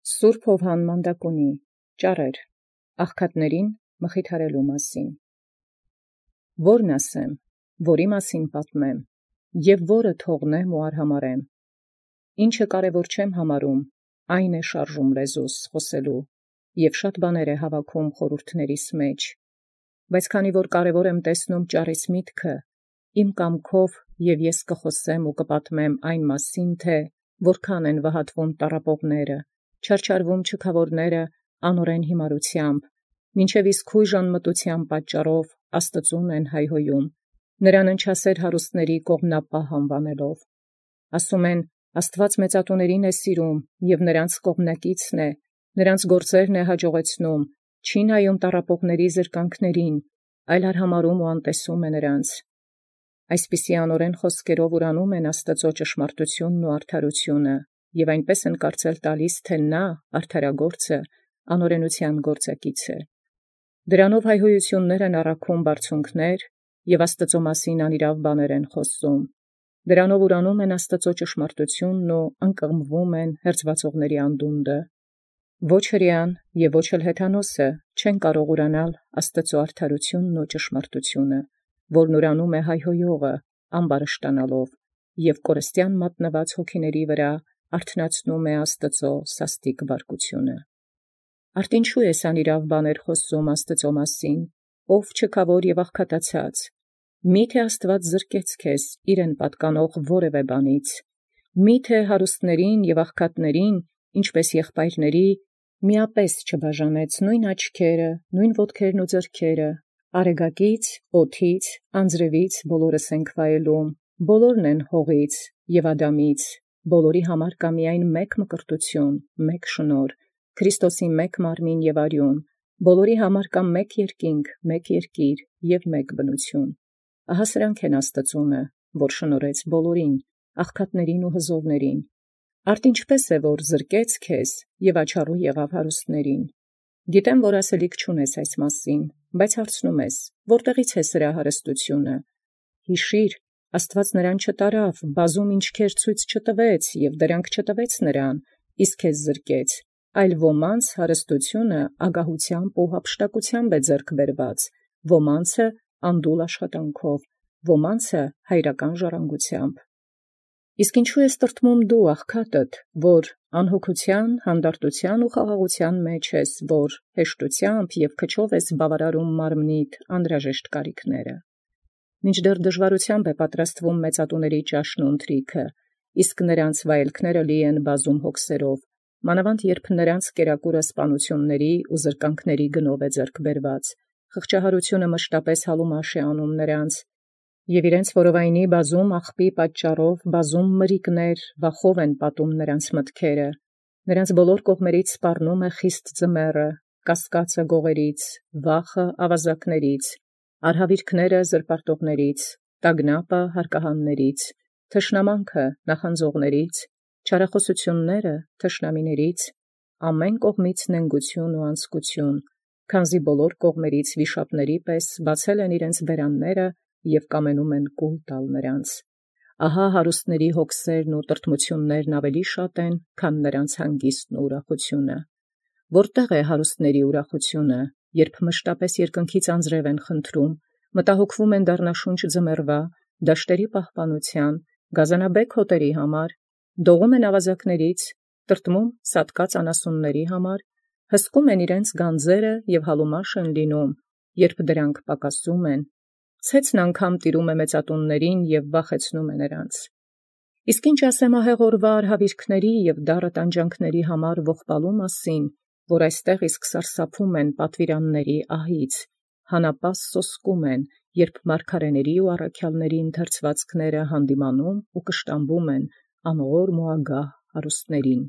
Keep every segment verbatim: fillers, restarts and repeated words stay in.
Սուրբ Հովհան Մանդակունի ճառեր աղքատներին մխիթարելու մասին։ Որն ասեմ, որի մասին պատմեմ, և որը թողնեմ ու արհամարեմ։ Ինչը կարևոր չեմ համարում, այն է շարժում լեզուս խոսելու, և շատ բաներ է հավաքում խորհուրդներիս մեջ։ Բայց քանի որ կարևոր եմ տեսնում ճառիս միտքը, իմ կամքով և ես կխոսեմ ու կպատմեմ այն մասին, թե որքան են վհատվում տառապողները, չարչարվում չքավորները անօրեն հիմարությամբ, մինչև իսկ հույժ անմտության պատճառով Աստծուն են հայհոյում, նրան ընչասեր հարուստների կողմնապահ անվանելով։ Ասում են, Աստված մեծատուներին է սիրում և նրանց կողմնակիցն է, նրանց գործերն է հաջողեցնում, չի նայում տառապողների զրկանքներին, այլ արհամարում ու անտեսում է նրանց։ Այսպիսի անօրեն խոսքերով ուրանում են Աստծո ճշմարտությունն ու արդարությունը, և այնպես են կարծել տալիս, թե նա արդարագործը անօրենության գործակից է։ Դրանով հայհոյություններ են առաքում բարձունքներ և Աստծո մասին անիրավ բաներ են խոսում։ Դրանով ուրանում են Աստծո ճշմարտությունն ու ընկղմվում են հերձվածողների անդունդը։ Ոչ հրեան և ոչ էլ հեթանոսը չեն կարող ուրանալ Աստծո արդարությունն ու ճշմարտությունը, որն ուրանում է հայհոյողը ամբարշտանալով և կորստյան մատնված հոգիների վրա արթնացնում է Աստծո սաստիկ բարկությունը։ Արդ ինչու ես անիրավ բաներ խոսում Աստծո մասին, ով չքավոր և աղքատացած։ Մի՞թե Աստված զրկեց քեզ իրեն պատկանող որևէ բանից։ Մի՞թե հարուստներին և աղքատներին, ինչպես եղբայրների, միապես չբաժանեց նույն աչքերը, նույն ոտքերն ու ձեռքերը, արեգակից, օդից, անձրևից բոլորս ենք վայելում, բոլորն են հողից և Ադամից, բոլորի համար կա միայն մեկ մկրտություն, մեկ շնորհ, Քրիստոսի մեկ մարմին և արյուն, բոլորի համար կա մեկ երկինք, մեկ երկիր և մեկ բնություն։ Ահա սրանք են աստծունը, որ շնորհեց բոլորին, աղքատներին ու հզորներին։ Արդ ինչպես է, որ զրկեց քեզ և աչառու եղավ հարուստներին։ Գիտեմ, որ ասելիք չունես այս մասին, բայց հարցնում ես, որտեղից է սրա հարստությունը։ Հիշիր, Աստված նրան չտարավ, բազում ինչքեր ցույց չտվեց և դրանք չտվեց նրան, իսկ քեզ զրկեց, այլ ոմանց հարստությունը ագահությամբ ու հափշտակությամբ է ձեռք բերված, ոմանցը անդուլ աշխատանքով, ոմանցը հայրական ժառանգությամբ։ Իսկ ինչու ես տրտմում դու աղքատդ, որ անհոգության, հանդարտության ու խաղաղության մեջ ես, որ հեշտությամբ և քչով ես բավարարում մարմնիդ անհրաժեշտ կարիքները։ Մինչդեռ դժվարությամբ է պատրաստվում մեծատուների ճաշն ու ընթրիքը, իսկ նրանց վայելքները լի են բազում հոգսերով, մանավանդ երբ նրանց կերակուրը սպանությունների ու զրկանքների գնով է ձեռք բերված, խղճահարությունը մշտապես հալումաշ է անում նրանց, և իրենց որովայնի բազում աղբի պատճառով բազում մրիկներ վախով են պատում նրանց մտքերը, նրանց բոլոր կողմերից սպառնում է խիստ ձմեռը, կասկածը գողերից, վախը ավազակներից, արհավիրքները զրպարտողներից, տագնապը հարկահաններից, թշնամանքը նախանձողներից, չարախոսությունները թշնամիներից, ամեն կողմից նենգություն ու անձկություն, քանզի բոլոր կողմերից վիշապների պես բացել են իրենց բերանները և կամենում են կուլ տալ նրանց։ Ահա հարուստների հոգսերն ու տրտմություններն ավելի շատ են, քան նրանց հանգիստն ու ուրախությունը։ Որտեղ է հարուստների ուրախությունը, երբ մշտապես երկնքից անձրև են խնդրում, մտահոգվում են դառնաշունչ ձմեռվա, դաշտերի պահպանության, գազանաբեկ հոտերի համար, դողում են ավազակներից, տրտմում սատկած անասունների համար, հսկում են իրենց գանձերը և հալումաշ են լինում, երբ դրանք պակասում են, ցեցն անգամ տիրում է մեծատուններին և վախեցնում է նրանց։ Իսկ ինչ ասեմ ահեղ օրվա արհավիրքների և դառը տանջանքների համար ողբալու մասին, որ այստեղ իսկ սարսափում են պատվիրանների ահից, հանապաս սոսկում են, երբ մարգարեների ու առաքյալների ընթերցվածքները հանդիմանում ու կշտամբում են անողորմ ու ագահ հարուստներին։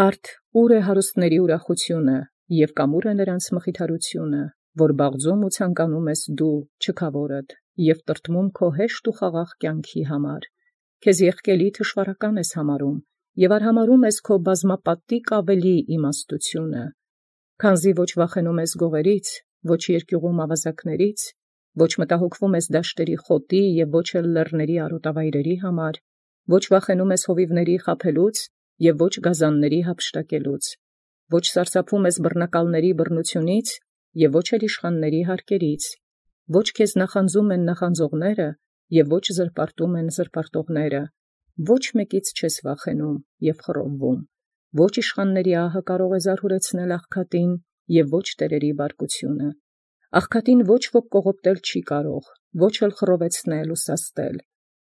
Արդ ուր է հարուստների ուրախությունը և կամուր է նրանց մխիթարությունը, որ բաղձում ու ցանկանում ես դու չքավորդ և տրտմում քո հեշտ ու խաղաղ կյանքի համար, քեզ եղկելի թշվառական ես համարում և արհամարում ես քո բազմապատիկ ավելի իմաստությունը, քանզի ոչ վախենում ես գողերից, ոչ երկյուղում ավազակներից, ոչ մտահոգվում ես դաշտերի խոտի և ոչ էլ լեռների արոտավայրերի համար, ոչ վախենում ես հովիվների խաբելուց և ոչ գազանների հափշտակելուց, ոչ սարսափում ես բռնակալների բռնությունից, և ոչ էլ իշխանների հարկերից, ոչ քեզ նախանձում են նախանձողները, և ոչ զրպարտում են զրպարտողները, ոչ մեկից չես վախենում և խռովվում, ոչ իշխանների ահը կարող է զարհուրեցնել աղքատին, և ոչ տերերի բարկությունը։ Աղքատին ոչ ոք կողոպտել չի կարող, ոչ էլ խռովեցնել ու սաստել։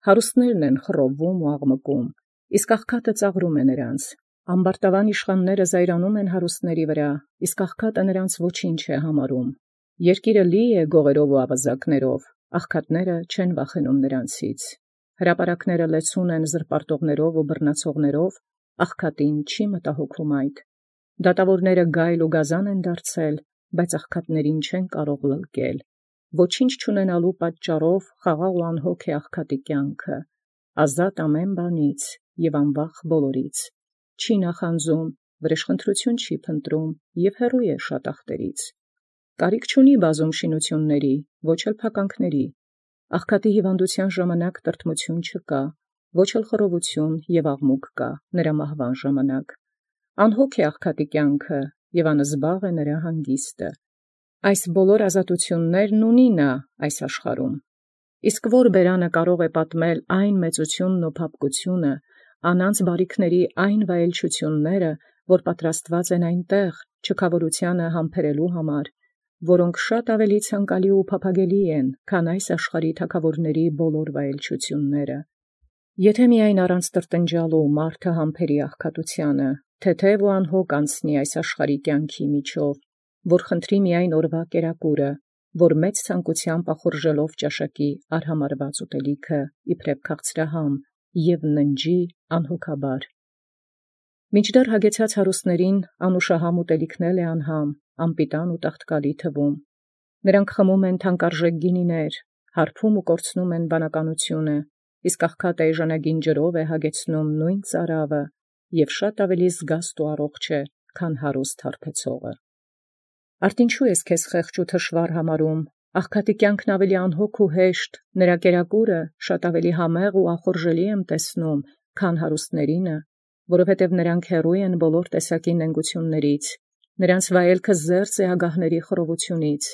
Հարուստներն են խռովվում ու աղմկում, իսկ աղքատը ծաղրում է նրանց։ Ամբարտավան իշխանները զայրանում են հարուստների վրա, իսկ աղքատը նրանց ոչինչ է համարում։ Երկիրը լի է գողերով ու ավազակներով, աղքատները չեն վախենում նրանցից։ Հրապարակները լեցուն են զրպարտողներով ու բռնացողներով, աղքատին չի մտահոգում այդ։ Դատավորները գայլ ու գազան են դարձել, բայց աղքատներին չեն կարող լլկել։ Ոչինչ չունենալու պատճառով խաղաղ ու անհոգ է աղքատի կյանքը, ազատ ամեն բանից և անվախ բոլորից, չի նախանձում, վրեժխնդրություն չի փնտրում և հեռու է շատ ախտերից։ Կարիք չունի բազում շինությունների, ոչ էլ փականքների։ Աղքատի հիվանդության ժամանակ տրտմություն չկա, ոչ էլ խռովություն և աղմուկ կա նրա մահվան ժամանակ։ Անհոգ է աղքատի կյանքը և անզբաղ է նրա հանգիստը։ Այս բոլոր ազատություններն ունի նա այս աշխարհում։ Իսկ որ բերանը կարող է պատմել այն մեծությունն ու փափկությունը, անանց բարիքների այն վայելչությունները, որ պատրաստված են այնտեղ չքավորությանը համբերելու համար, որոնք շատ ավելի ցանկալի ու փափագելի են, քան այս աշխարհի թագավորների բոլոր վայելչությունները։ Եթե միայն առանց տրտնջալու մարդը համբերի աղքատությանը, թեթև ու անհոգ անցնի այս աշխարհի կյանքի միջով, որ խնդրի միայն օրվա կերակուրը, որ մեծ ցանկությամբ ախորժելով ճաշակի արհամարված ուտելիքը իբրև քաղցրահամ և ննջի անհոգաբար։ Մինչդեռ հագեցած հարուստներին անուշահամ ուտելիքն է անհամ, անպիտան ու տաղտկալի թվում։ Նրանք խմում են թանկարժեք գինիներ, հարբում ու կորցնում են բանականությունը, իսկ աղքատը էժանագին ջրով է հագեցնում նույն ծարավը և շատ ավելի զգաստ ու առողջ է, քան հարուստ հարբեցողը։ Արդ ինչու ես քեզ խեղճ ու թշվառ համարում, աղքատի կյանքն ավելի անհոգ ու հեշտ, նրա կերակուրը շատ ավելի համեղ ու ախորժելի եմ տեսնում, քան հարուստներինը, որովհետև նրանք հեռու են բոլոր տեսակի նենգություններից, նրանց վայելքը զերծ է ագահների խռովությունից,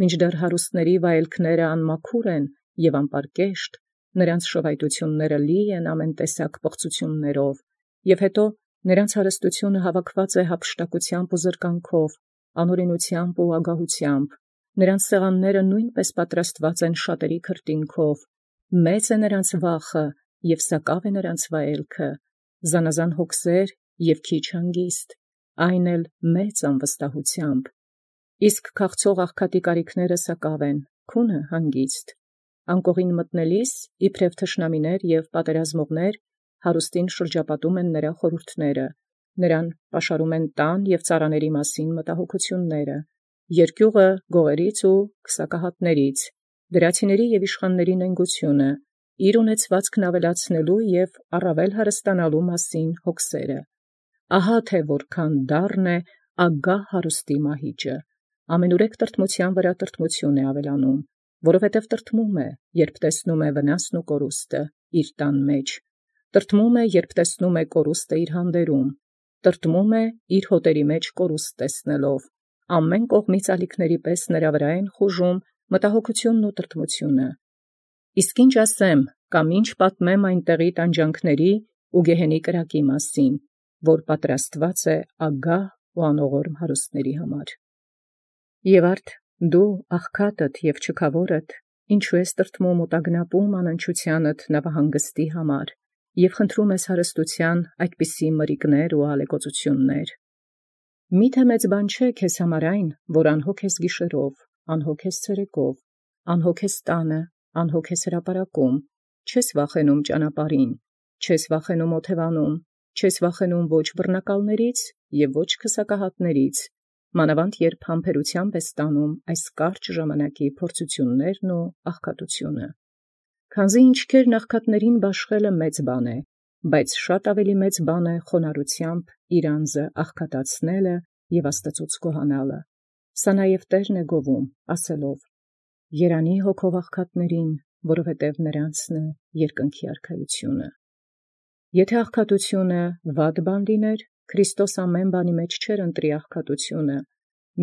մինչդեռ հարուստների վայելքները անմաքուր են և անպարկեշտ, նրանց շվայտությունները լի են ամեն տեսակ պղծություններով, և հետո նրանց հարստությունը հավաքված է հափշտակությամբ ու զրկանքով, անօրենությամբ ու ագահությամբ, նրանց սեղանները նույնպես պատրաստված են շատերի քրտինքով, մեծ է նրանց վախը և սակավ է նրանց վայելքը, զանազան հոգսեր և քիչ հանգիստ, այն էլ մեծ անվստահությամբ։ Իսկ քաղցող աղքատի կարիքները սակավ են, քունը հանգիստ։ Անկողին մտնելիս, իբրև թշնամիներ և պատերազմողներ, հարուստին շրջապատում են նրա խորհուրդները, նրան պաշարում են տան և ծառաների մասին մտահոգությունները, երկյուղը գողերից ու քսակահատներից, դրացիների և իշխանների նենգությունը, իր ունեցվածքն ավելացնելու և առավել հարստանալու մասին հոգսերը։ Ահա թե որքան դառն է ագահ հարուստի մահիճը, ամենուրեք տրտմության վրա տրտմություն է ավելանում, որովհետև տրտմում է, երբ տեսնում է վնասն ու կորուստը իր տան մեջ, տրտմում է, երբ տեսնում է կորուստը իր հանդերում, տրտմում է իր հոտերի մեջ կորուստ տեսնելով, ամեն կողմից ալիքների պես նրա վրա են խուժում մտահոգությունն ու տրտմությունը։ Իսկ ինչ ասեմ կամ ինչ պատմեմ այնտեղի տանջանքների ու գեհենի կրակի մասին, որ պատրաստված է ագահ ու անողորմ հարուստների համար։ Եվ արդ դու աղքատդ և չքավորդ, ինչու ես տրտմում ու տագնապում անընչությանդ նավահանգստի համար, և խնդրում ես հարստության այդպիսի մրիկներ ու ալեկոծություններ։ Միթե մեծ բան չէ քեզ համար այն, որ անհոգ ես գիշերով, անհոգ ես ցերեկով, անհոգ ես տանը, անհոգ ես հրապարակում, չես վախենում ճանապարհին, չես վախենում օթևանում, չես վախենում ոչ բռնակալներից և ոչ քսակահատներից, մանավանդ երբ համբերությամբ ես տանում այս կարճ ժամանակի փորձություններն ու աղքատությունը։ Քանզի ինչքերն աղքատներին բաշխելը մեծ բան է, բայց շատ ավելի մեծ բան է խոնարհությամբ իր անձը աղքատացնելը և Աստծուց գոհանալը։ Սա նաև Տերն է գովում, ասելով. «Երանի հոգով աղքատներին, որովհետև նրանցն է երկնքի արքայությունը»։ Եթե աղքատությունը վատ բան լիներ, Քրիստոս ամեն բանի մեջ չէր ընտրի աղքատությունը.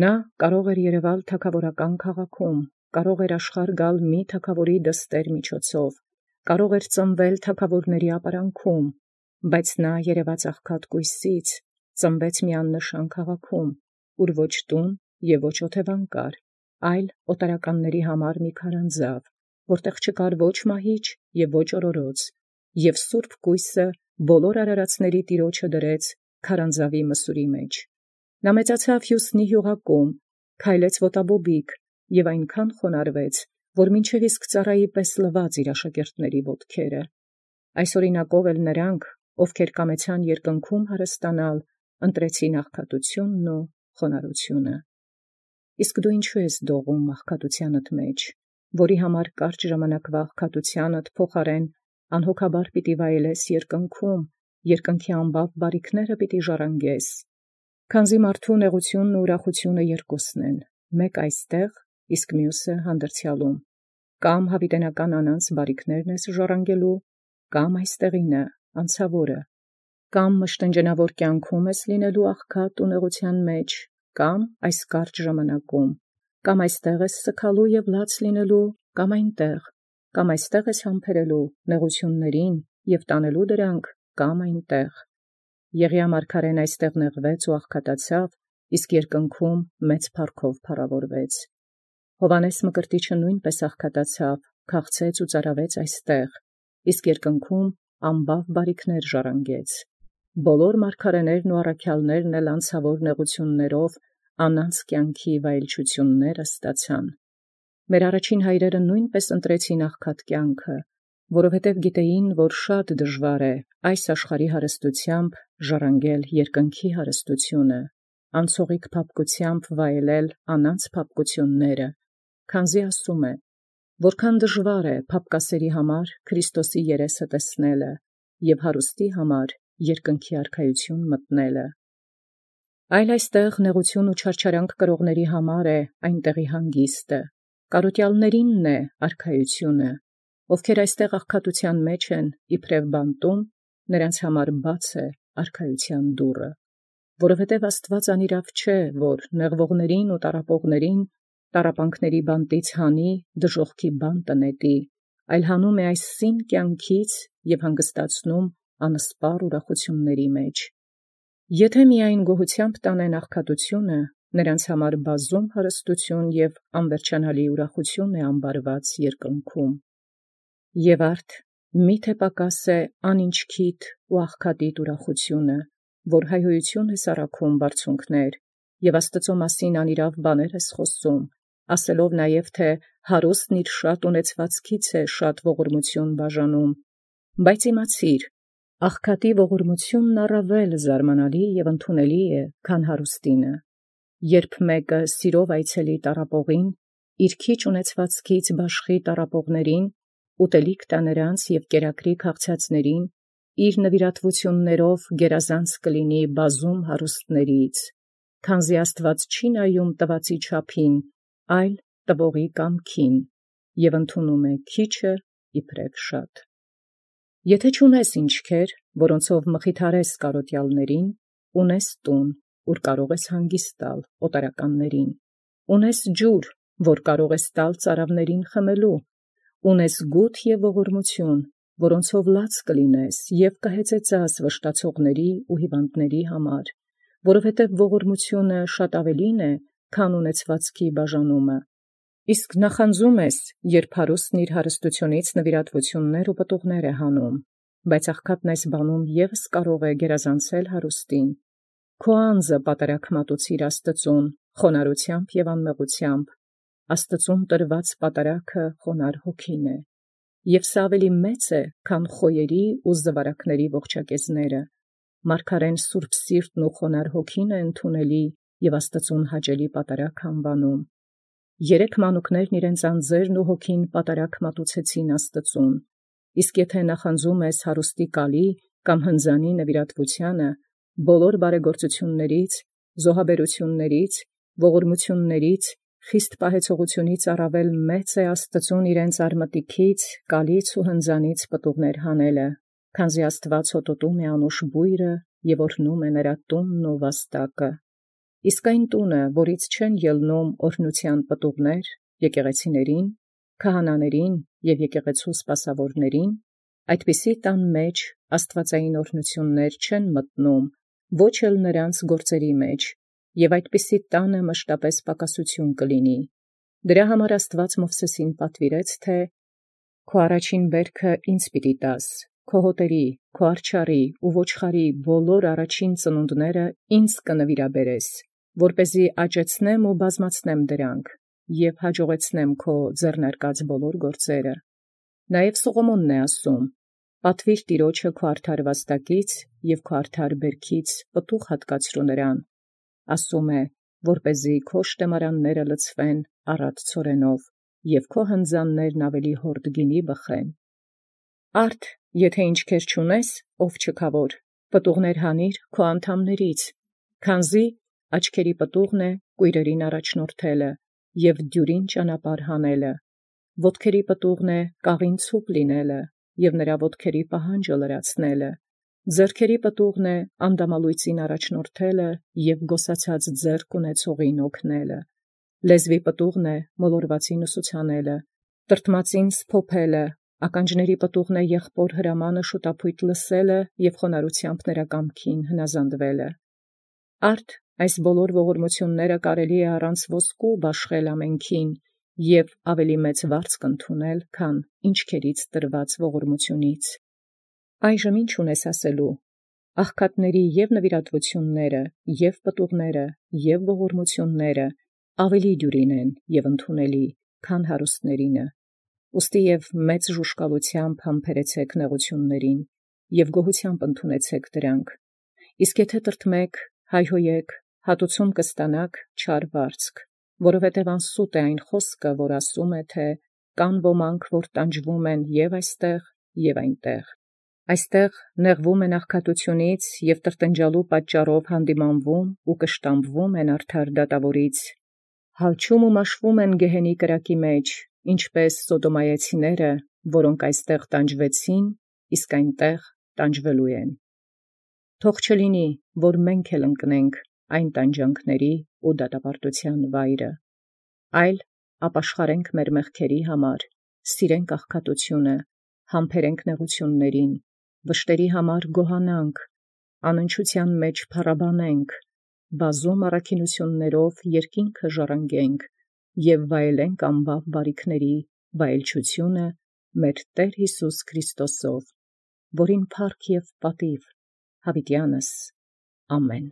նա կարող էր երևալ թագավորական քաղաքում, կարող էր աշխարհ գալ մի թագավորի դստեր միջոցով, կարող էր ծնվել թագավորների ապարանքում, բայց նա երևաց աղքատ կույսից, ծնվեց մի աննշան քաղաքում, ուր ոչ տուն և ոչ օթևան կար, այլ օտարականների համար մի քարանձավ, որտեղ չկար ոչ մահիճ և ոչ օրորոց, և սուրբ կույսը բոլոր արարածների Տիրոջը դրեց քարանձավի մսուրի մեջ։ Նա մեծացավ Հյուսնի յուղակում, քայլեց ոտաբոբիկ և այնքան խոնարհվեց, որ մինչև իսկ ծառայի պես լվաց իր աշակերտների ոտքերը։ Այս օրինակով էլ նրանք, ովքեր կամեցան երկնքում հարստանալ, ընտրեցին աղքատությունն ու խոնարհությունը։ Իսկ դու ինչու ես դողում աղքատությանդ մեջ, որի համար կարճ ժամանակվա աղքատությանդ փոխարեն անհոգաբար պիտի վայելես երկնքում, երկնքի անբավ բարիքները պիտի ժառանգես։ Քանզի մարդու նեղությունն ու ուրախությունը երկուսն են, մեկ այստեղ, իսկ մյուսը հանդրձյալում, կամ հավիտենական անանց բարիքներն ես ժառանգելու, կամ այստեղինը, անցավորը, կամ մշտնջենավոր կյանքում ես լինելու աղքատ ու նեղության մեջ, կամ այս կարճ ժամանակում, կամ այստեղ ես սգալու և լաց լինելու, կամ այնտեղ, կամ այստեղ ես համբերելու նեղություններին և տանելու դրանք, կամ այնտեղ։ Եղիա մարգարեն այստեղ նեղվեց ու աղքատացավ, իսկ երկնքում մեծ փառքով փառավորվեց։ Հովհաննես Մկրտիչը նույնպես աղքատացավ, քաղցեց ու ծարավեց այստեղ, իսկ երկնքում անբավ բարիքներ ժառանգեց։ Բոլոր մարգարեներն ու առաքյալներն էլ անցավոր նեղություններով անանց կյանքի վայելչությունները ստացան։ Մեր առաջին հայրերը նույնպես ընտրեցին աղքատ կյանքը, որովհետև գիտեին, որ շատ դժվար է այս աշխարհի հարստությամբ ժառանգել երկնքի հարստությունը, անցողիկ փափկությամբ վայելել անանց փափկությունները, քանզի ասում է, որքան դժվար է փափկասերի համար Քրիստոսի երեսը տեսնելը և հարուստի համար երկնքի արքայություն մտնելը։ Այլ այստեղ նեղություն ու չարչարանք կրողների համար է այնտեղի հանգիստը, կարոտյալներինն է արքայությունը, ովքեր այստեղ աղքատության մեջ են իբրև բանտում, նրանց համար բաց է արքայության դուռը, որովհետև Աստված անիրավ չէ, որ նեղվողներին ու տառապողներին տառապանքների բանտից հանի, դժոխքի բանտը նետի, այլ հանում է այս սին կյանքից և հանգստացնում անսպառ ուրախությունների մեջ։ Եթե միայն գոհությամբ տանեն աղքատությունը, նրանց համար բազում հարստություն և անվերջանալի ուրախություն է ամբարված երկնքում։ Եվ արդ մի՞թե պակաս է անինչքիդ ու աղքատիդ ուրախությունը, որ հայհոյություն ես առաքում բարձունքներ, և Աստծո մասին անիրավ բաներ ես խոսում, ասելով նաև, թե հարուստն իր շատ ունեցվածքից է շատ ողորմություն բաժանում, բայց իմացիր, աղքատի ողորմությունն առավել զարմանալի և ընդունելի է, քան հարուստինը։ Երբ մեկը սիրով այցելի տառապողին, իր քիչ ունեցվածքից բաշխի տառապողներին, ուտելիք տա նրանց և կերակրի քաղցածներին, իր նվիրատվություններով գերազանց կլինի բազում հարուստներից, քանզի Աստված չի նայում տվածի չափին, այլ տվողի կամքին, և ընդունում է քիչը իբրև շատ։ Եթե չունես ինչքեր, որոնցով մխիթարես կարոտյալներին, ունես տուն, ուր կարող ես հանգիստ տալ օտարականներին, ունես ջուր, որ կարող ես տալ ծարավներին խմելու, ունես գութ և ողորմություն, որոնցով լաց կլինես և կհեծեծաս վշտացողների ու հիվանդների համար, որովհետև ողորմությունը շատ ավելին է, քան ունեցվածքի բաժանումը։ Իսկ նախանձում ես, երբ հարուստն իր հարստությունից նվիրատվություններ ու պտուղներ է հանում, բայց աղքատն այս բանում ևս կարող է գերազանցել հարուստին։ Քո անձը պատարագ մատուցիր Աստծուն խոնարհությամբ և անմեղությամբ, Աստծուն տրված պատարագը խոնարհ հոգին է, և սա ավելի մեծ է, քան խոյերի ու զվարակների ողջակեզները։ Մարգարեն սուրբ սիրտն ու խոնարհ հոգին է ընդունելի և Աստծուն հաճելի պատարագ անվանում։ Երեք մանուկներն իրենց անձերն ու հոգին պատարագ մատուցեցին Աստծուն, իսկ եթե նախանձում ես հարուստի կալի կամ հնձանի նվիրատվությանը, բոլոր բարեգործություններից, զոհաբերություններից, ողորմություններից, խիստ պահեցողությունից առավել մեծ է Աստծուն իրենց արմատիքից, կալից ու հնձանից պտուղներ հանելը, Քանզի Աստուած հոտոտում է անուշ բույրը և օրհնում է նրա տունն ու վաստակը։ Իսկ այն տունը, որից չեն ելնում օրհնութեան պտուղներ, եկեղեցիներին, քահանաներին և եկեղեցու սպասավորներին, այդպիսի տան մեջ աստուածային օրհնութիւններ չեն մտնում, ոչ էլ նրանց գործերի մեջ, և այդպիսի տանը մշտապես պակասութիւն կլինի։ Դրա համար Աստուած Մովսեսին պատվիրեց, թէ «Քո առաջին բերքը ինձ պիտի տաս, քո հոտերի, քո արջառի ու ոչխարի բոլոր առաջին ծնունդները ինձ կնվիրաբերես, որպեսզի աճեցնեմ ու բազմացնեմ դրանք, և հաջողեցնեմ քո ձեռնարկած բոլոր գործերը»։ Նաև Սողոմոնն է ասում. «Պատվիր Տիրոջը քո արդար վաստակից և քո արդար բերքից պտուղ հատկացրու նրան», ասում է, որպեսզի քո շտեմարանները լցվեն առատ ցորենով, և քո հնձաններն ավելի հորդ գինի բխեն։ Արդ, եթէ ինչքեր չունես, ով չքավոր, պտուղներ հանիր քո անդամներից, քանզի աչքերի պտուղն է կույրերին առաջնորդելը և դյուրին ճանապարհ հանելը, ոտքերի պտուղն է կաղին ցուպ լինելը և նրա ոտքերի պահանջը լրացնելը, ձեռքերի պտուղն է անդամալույծին առաջնորդելը և գոսացած ձեռք ունեցողին օգնելը, լեզվի պտուղն է մոլորվածին ուսուցանելը, տրտմածին սփոփելը, ականջների պտուղն է եղբոր հրամանը շուտապույտ լսելը և խոնարհությամբ նրա կամքին հնազանդվելը։ Արդ այս բոլոր ողորմութիւնները կարելի է առանց ոսկու բաշխել ամենքին և ավելի մեծ վարձք ընդունել, քան ինչքերից տրված ողորմութիւնից։ Այժմ ի՞նչ ունես ասելու։ Աղքատների և նվիրատվութիւնները, և պտուղները, և ողորմութիւնները ավելի դյուրին են և ընդունելի, քան հարուստներինը։ Ուստի և մեծ ժուշկալութեամբ համբերեցէք նեղութիւնացն և գոհութեամբ ընդունեցէք դրանք։ Իսկ եթէ տրտմէք, հայհոյեք, հատուցում կստանաք չար վարձք, որովհետև անսուտ է այն խոսքը, որ ասում է, թէ «Կան ոմանք, որ տանջվում են և այստեղ, և այնտեղ»։ Այստեղ նեղվում են աղքատութիւնից և տրտնջալու պատճառով յանդիմանվում ու կշտամբվում են արդար դատաւորից, հալչում ու մաշվում են գեհենի կրակի մեջ, ինչպէս Սոդոմայեցիները, որոնք այստեղ տանջվեցին, իսկ այնտեղ տանջվելու են։ Թող չլինի, որ մենք էլ ընկնենք այն տանջանքների ու դատապարտութեան վայրը, այլ ապաշխարենք մեր մեղքերի համար, սիրենք աղքատութիւնը, համբերենք նեղութիւնացն, վշտերի համար գոհանանք, անընչութեան մեջ փառաբանենք, բազում առաքինութիւններով երկինքը ժառանգենք և վայելենք անբաւ բարիքների վայելչութիւնը մեր Տէր Յիսուս Քրիստոսով, որին փառք և պատիւ յաւիտեանս։ Ամեն։